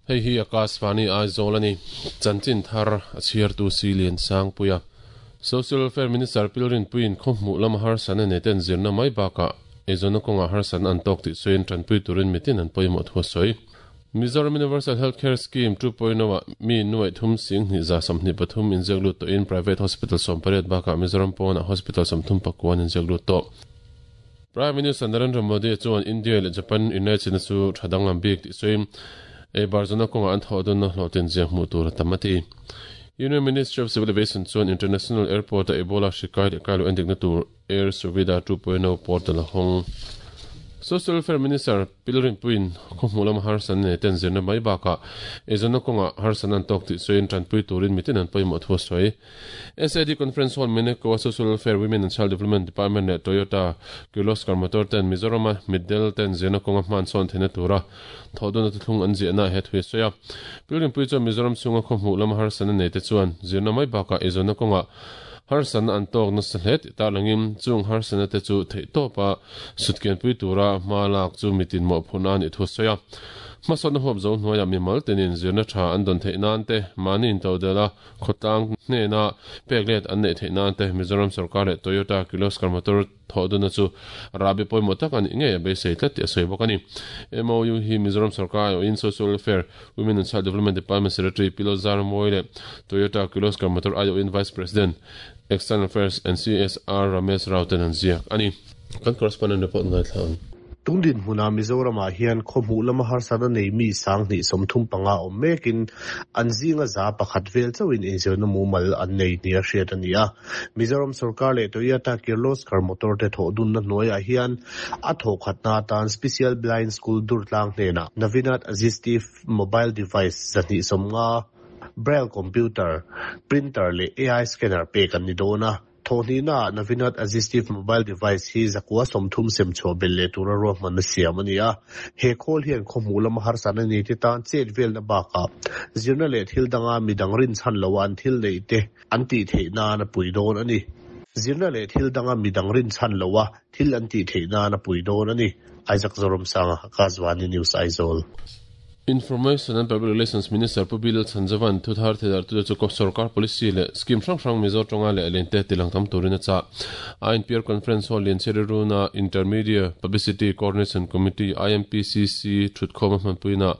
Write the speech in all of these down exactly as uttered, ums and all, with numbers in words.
Hei hi Akashvani Aizawl ani chanchin thar a chhiartu si lian sang puia Social Welfare Minister Pilrin Puin khawhmu lama har san ane ten zirna mai baka ezona konga har san an tok ti soin tranpui turin mitin an poimo thu soi Mizoram Universal Healthcare Scheme two point oh mi nuai thum sing ni za samni pathum in jaglu to in private hospital sompariat baka Mizoram pona hospital samthum pakwan in jaglu to Prime Minister Narendra Modi chuan India le Japan United chu thadang lam bik ti soin e barzana konga an thodon na hlotin je mu tur tamati Union Ministry of Civil Aviation chuan International Airport a Ebola shikai le kailu ending na tur Air Suvidha two point oh portal hong Social Welfare Minister Pilrin Puin khawhmulam har san ne ten zirna mai baka ezona konga har san an tok ti soin tranpui turin mitin an poimo thu soi S A D Conference Hall Meneko Social Welfare Women and Child Development Department ne Toyota Kirloskar Motor ten Mizoram Middle ten zirna konga hman son thena tura thodona thlung an zirna he thui soya Pilrin Pui chu Mizoram chunga khawhmulam har san ne te chuan zirna mai baka ezona konga har san an tok na sahlet ta langim chung har san te chu thei to pa sutken pui tura malak chu mitin mo phuna ni thu soya mason hop zo hnuaia mi mal tenin zirna tha an don thei nan te mani in todela khotang hne na peklet an nei thei nan te Mizoram sarkar le Toyota Kirloskar Motor thoduna chu rabi poimo tak ani nge be sei tlat ti soi bokani M O U hi Mizoram sarkar in Social Welfare Women and Child Development Department Secretary Pilozar Moile Toyota Kirloskar Motor ayo in Vice President External Affairs and C S R Ramesh Rauten an ziak ani kan correspondent report ngai thlan Tungdin hmuna Mizorama hian khawhmu lama har sana nei mi sang hnih sawmthum panga awm mekin an zinga za pakhat vel chauhin inzirna mumal an nei nia hriat ani a Mizoram sarkar leh Toyota Kirloskar Motor te thawh na hnuaiah hian a thawh khatna atan Special Blind School Durtlang hnenah Navinat Assistive Mobile Device zahnih sawmnga Braille computer printer leh A I scanner pek an ni dawn a Thawhnihna Navinat Assistive Mobile Device hi zakua sawmthum sem chhuah bel leh tura ruahman a siam ani a he khawl hian khawhmu lama har san ani te tan chet velna bakah zirna leh thil danga midang rin chhan lo an thil nei te an tih theih nan a pui dawn ani zirna leh thil danga midang rin chhan lo a thil an tih theih nan a pui dawn ani Isaac Zoram Sanga Akashvani News Aizawl Information and Public Relations Minister Pubil Chanjavan Thuthar Thedar tu chu sarkar policy le scheme hrang hrang Mizo tonga le lente tilang tam turina cha I N P R Conference Hall lian chereruna Intermediate Publicity Coordination Committee I M P C C thutkhom hmanpuina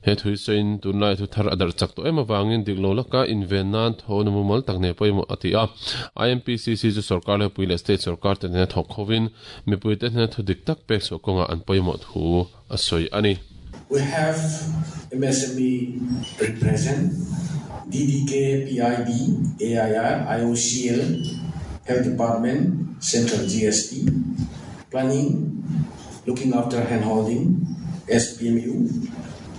he thui sein tunlai thuthar adar chak to ema wangin diklo laka invenan thon mumal takne poimo atia I M P C C chu sarkar le puile state sarkar te ne thok khovin mipui te ne thudik tak pek so konga an poimo thu asoi ani. We have M S M E represent, D D K, P I B, A I R, I O C L, Health Department, Central G S T, Planning, Looking After Handholding, S P M U,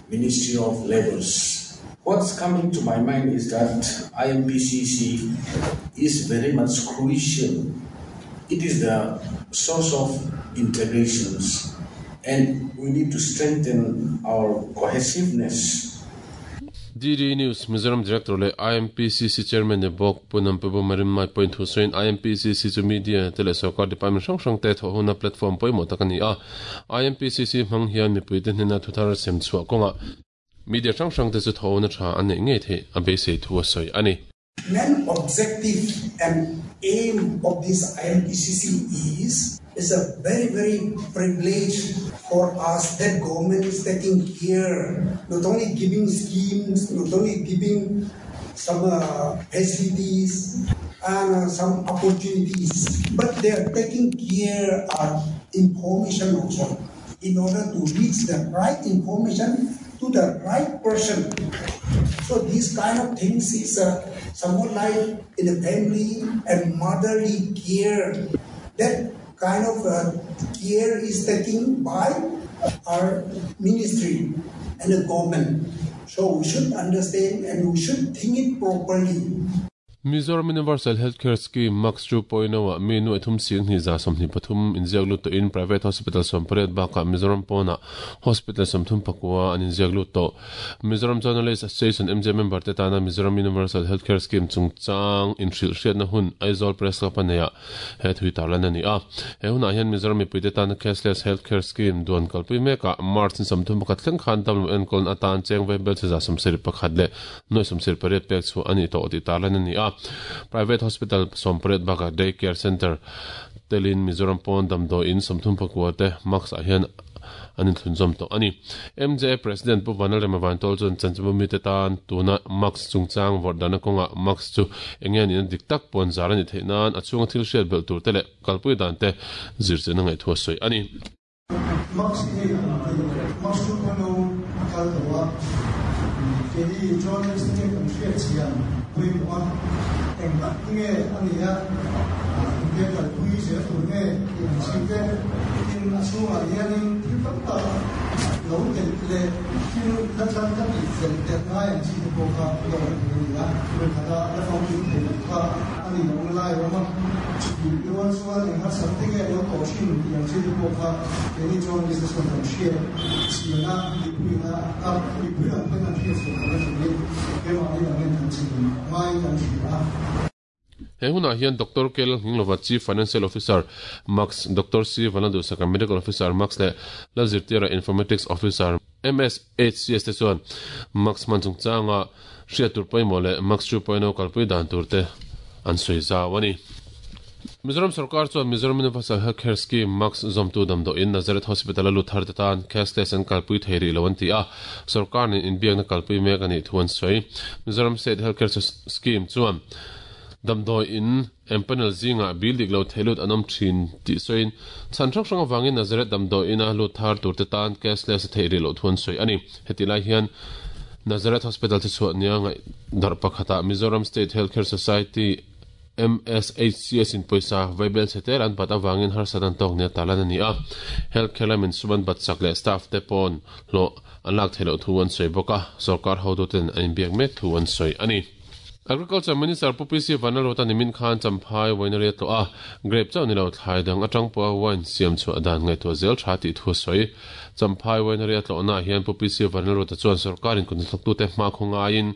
Ministry of Labours. What's coming to my mind is that I M P C C is very much crucial. It is the source of integrations, and we need to strengthen our cohesiveness. D D News Mizoram Director le I M P C C Chairman ne bok punam pebu marim mai point Hussein I M P C C chu media tele sarkar department hrang hrang te thawhuna platform poimo takani a I M P C C hmang hian mipui te hnena thuthar sem chhuah kawnga media hrang hrang te chu thawhuna tha an nei ngei thei a beisei thu a sawi ani. Main objective and aim of this I M P C C is is a very, very privilege for us that government is taking care, not only giving schemes, not only giving some uh, facilities and uh, some opportunities, but they are taking care of information also in order to reach the right information to the right person. So these kind of things is uh, somewhat like in a family and motherly care. That kind of uh, care is taken by our ministry and the government. So we should understand and we should think it properly. Mizoram Universal Healthcare Scheme Max two point oh a mi nuai thum sing hnih za sawmhnih pathum inziak lut tawhin private hospital sawmpariat bakah Mizoram pawnah hospital sawmthum pakua an inziak lut tawh. Mizoram Journalist Association M J member te tana Mizoram Universal Healthcare Scheme chungchang inhrilh hriatna hun Aizawl Press Club a neih he thui tarlan a ni a. He hunah hian Mizoram mipui te tana Cashless Healthcare Scheme duan kalpui mekah March in sawmthum pakhat thleng khan damlo enkawl atan cheng vai bel che za sawmsarih pakhat leh nuai sawmsarih pariat pek chu a ni tawh tih tarlan a ni a. Private hospital sawmpariat bakah day care center telin Mizoram pawn damdawi in sawmthum pakua te max ah hian an inthlunzawm tawh a ni. M J A President Pu Vanal Remavantawl chuan chanchimbu mi te tan tuna max chungchang vawrh dana kawngah max chu eng nge niin dik tak pawn zar a ni theih nan a chhunga thil hriat belh tur te leh kalpui dan te zir chen a ngaihthua sawi a ni. Max hi max two point oh a kal tawh a, kei journalist te kan hriat chian pawimawh a, eng tak nge a ni a, engte kalpui zel tur nge tih ang chi te, tin a chhungah hianin thil tam tak lo telh leh thil la tlan ka tih fel telh ngai ang chi te pawh kha lo awm thei a ni a, thil khata la famkim thei loh kha a ni lo lai awm a, chutih rual chuan eng harsat te nge lo tawh thin tih ang chi te pawh kha keini journalist te chuan kan hriat chian a, mipuina a mipui lam te kan hriat chian kan thin keimahni lam hian kan chin ngai kan hria a. He hunah hian Doctor Kel Nginglova Chief Financial Officer Max, Doctor C Vanadusaka Medical Officer Max leh Lalzirtira Informatics Officer M S H C S te chuan Max man chungchanga hriat tur pawimawh leh Max two point oh kalpui dan tur te an sawi zau a ni. Mizoram Sarkar chuan Mizoram Universal Healthcare Scheme Max zawmtu damdawi in Nazareth Hospital a lut thar te tan cashless an kalpui thei rih lo an ti a, sarkar nen inbiakna kalpui mek a nih thu an sawi. Mizoram State Healthcare Scheme chuan damdawi in empanel zinga bil dik lo theilut an awm thin tih sawiin chhan hrang hrang awangin Nazareth damdawi ina lut thar tur te tan cashless a theih rih loh thu an sawi a ni. Heti lai hian Nazareth Hospital te chhuah nia ngaih darh pakhatah Mizoram State Healthcare Society M S H C S in pawisa vaibel che tel an bat awangin harsat an tawk nia talan a ni a. Healthcare lamin suman bat sak leh staff te pawn hlawh an lak theih loh thu an sawi bawk a, sarkar hotu ten an inbiak mek thu an sawi a ni. Agriculture Minister Pu P C Vanlalruata nimin khan Champhai winery a tlawh a, grape chauh ni lo thlai dang atang pawha wine siam chhuah dan ngaihtuah zel tha tih thu a sawi. Champhai winery a tlawhnaah hian Pu P C Vanlalruata chuan sarkarin kuthnathlawktute hma khaw ngaiin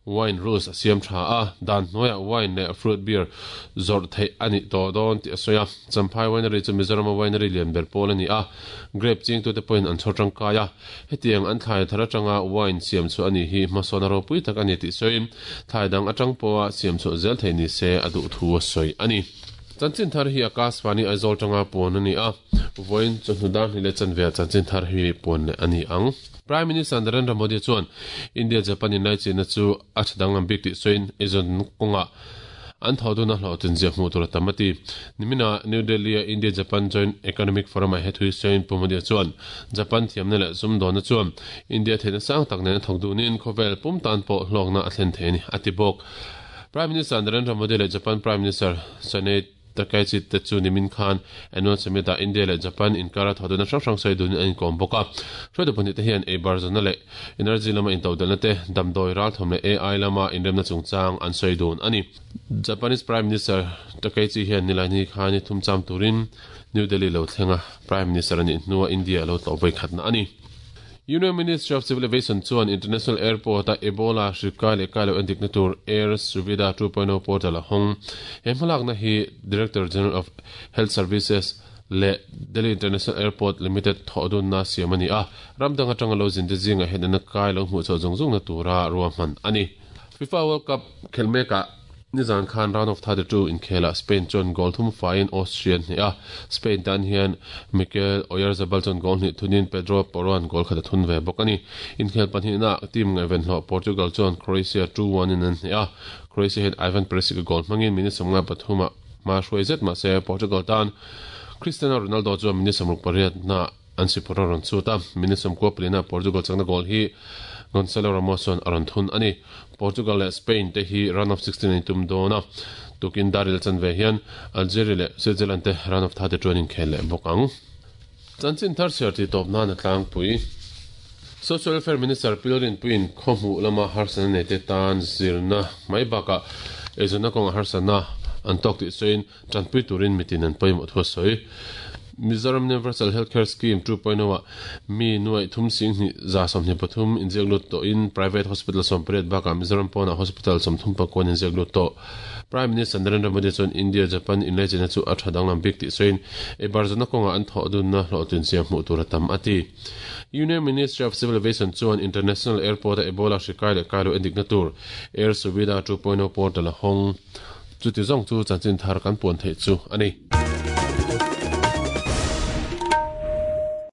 wine rules a siam tha a, dan hnuaiah wine leh fruit beer zawrh theih a nih tawh dawn tih a sawi a. Champhai winery chu Mizoram winery lian ber pawl a ni a, grape chingtute pawhin an chhawr tangkai a, hetiang an thlai thar atanga wine siam chhuah a ni hi hmasawn a ropui tak a ni tih sawiin thlai dang atang pawha siam chhuah zel thei ni se a duh thu a sawi a ni. Chanchin thar hi Akashvani Aizawl tanga pawn a ni a, vawiin chawhnu dar hnih leh chanve ah chanchin thar hi pawn leh a ni ang. Prime Minister Narendra Modi chuan India Japan in laichina chu a thadang lam bik tih sawiin eizawn kawngah an tho dun a hlawhtlin ziah hmuh tur a tam a ti. Nimina New Delhi a India Japan Joint Economic Forum ah he thui sawiin Pu Modi chuan Japan thiamna leh sumdawnna chuan India theihna sang tak nen a thawk dunin khawvel pum tan pawh hlawkna a thlen thei a ni a ti bawk. Prime Minister Narendra Modi leh Japan Prime Minister Sanae Takaichi te chu nimin khan annual summit ah India leh Japan inkara tho dun a hrang hrang sawi dunin an inkawm bawk a. Hruaitu pahnih te hian eibar zawna leh energy lama intodelna te, damdawi ralthawm leh A I lama inremna chungchang an sawi dun a ni. Japanese Prime Minister Takaichi hian nilaini khan ni thum cham turin New Delhi lo thlenga Prime Minister a nih hnuah India lo tlawh vawi khatna a ni. Union Ministry of Civil Aviation chuan International Airport a Ebola hrikai leh kai lo endikna tur Air Suvidha two point oh portal a hawng. He hmalakna hi Director General of Health Services leh Delhi International Airport Limited thawh dunna siam a ni a, ramdang atanga lo zin te zinga henana kai lo hmuh chhuah zung zungna tura ruahman a ni. FIFA World Cup khelmekah nizan khan round of thirty-two inkhela Spain chuan goal thum faiin Austria hnih a, Spain tan hian Mikel Oyarzabal chuan goal hnih thunin Pedro Porro an goal khat a thun ve bawk a ni. Inkhel pahnihna team ngaiven hlawh Portugal chuan Croatia two one in an hnih a, Croatia hian Ivan Perisic a goal hmangin minute sawmnga pathuma hma hruai zet mahse Portugal tan Cristiano Ronaldo chuan minute sawmruk pariat na an sipawr a rawn chut a, minute sawmkua palina Portugal chakna goal hi Gonzalo Ramos chuan a rawn thun a ni. Portugal leh Spain te hi round of sixteen an tum dawn a, tukin Daril chan ve hian Algeria leh Switzerland te round of thirty-two an inkhel leh bawk ang. Chanchin thar chhiar tih tawp nan a tlangpui. Social Welfare Minister Pilorin Puin khomu lama harsana nei te tan zirna mai baka ezona konga harsana an tok ti soin tanpui turin mitin an poimo thu soi Mizoram Universal Healthcare Scheme two point oh mi nuai thum sing ni za som ni pathum injek lut to in private hospital som pret baka Mizoram pona hospital som thum pa kon injek lut to Prime Minister Narendra Modi chon India Japan inlai chena chu a thadang lam bik ti soin e barzana konga an tho dun na hlo tin sia mu tur tam ati Union Ministry of Civil Aviation chuan International Airport Ebola hrikai le kailo endik na tur Air Suvidha two point oh portal hong chu ti zong chu chanchin thar kan pon thei chu ani.